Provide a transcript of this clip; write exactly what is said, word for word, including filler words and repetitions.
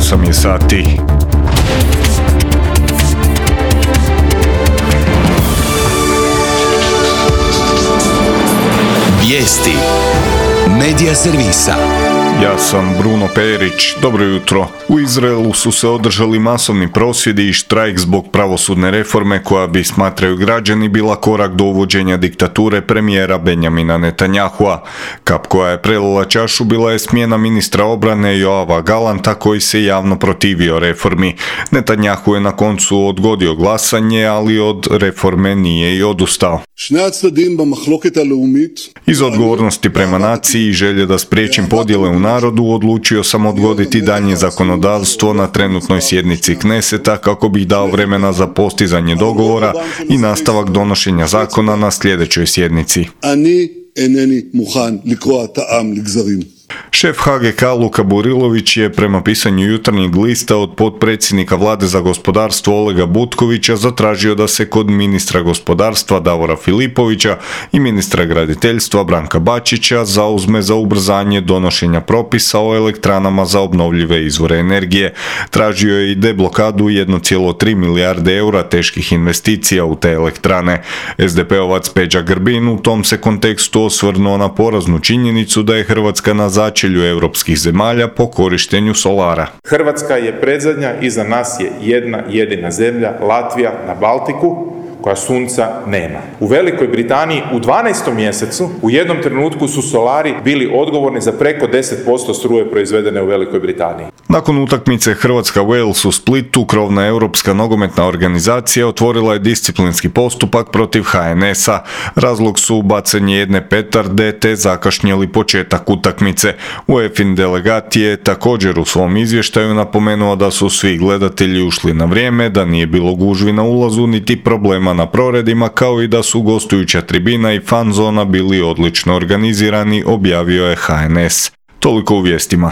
osam je sati. Vijesti Medija servisa. Ja sam Bruno Perić. Dobro jutro. U Izraelu su se održali masovni prosvjedi i štrajk zbog pravosudne reforme koja bi, smatraju građani, bila korak do uvođenja diktature premijera Benjamina Netanyahua. Kap koja je prelila čašu bila je smjena ministra obrane Joava Galanta koji se javno protivio reformi. Netanyahu je na koncu odgodio glasanje, ali od reforme nije i odustao. Iz odgovornosti prema naciji i želje da spriječim podjele u narodu, odlučio sam odgoditi daljnje zakonodavstvo na trenutnoj sjednici Kneseta kako bih dao vremena za postizanje dogovora i nastavak donošenja zakona na sljedećoj sjednici. Šef H G K Luka Burilović je prema pisanju Jutarnjeg lista od potpredsjednika vlade za gospodarstvo Olega Butkovića zatražio da se kod ministra gospodarstva Davora Filipovića i ministra graditeljstva Branka Bačića zauzme za ubrzanje donošenja propisa o elektranama za obnovljive izvore energije. Tražio je i deblokadu jedne zarez tri milijarde eura teških investicija u te elektrane. S D P-ovac Peđa Grbin u tom se kontekstu osvrnuo na poraznu činjenicu da je Hrvatska na začelju europskih zemalja po korištenju solara. Hrvatska je predzadnja, iza nas je jedna jedina zemlja, Latvija na Baltiku, koja sunca nema. U Velikoj Britaniji u dvanaestom mjesecu u jednom trenutku su solari bili odgovorni za preko deset posto struje proizvedene u Velikoj Britaniji. Nakon utakmice Hrvatska-Wales u Splitu, krovna europska nogometna organizacija otvorila je disciplinski postupak protiv H N S-a. Razlog su bacanje jedne petarde te zakašnjeli početak utakmice. UEFA-in delegat je također u svom izvještaju napomenuo da su svi gledatelji ušli na vrijeme, da nije bilo gužvi na ulazu niti problema na proredima, kao i da su gostujuća tribina i fan zona bili odlično organizirani, objavio je H N S. Toliko u vijestima.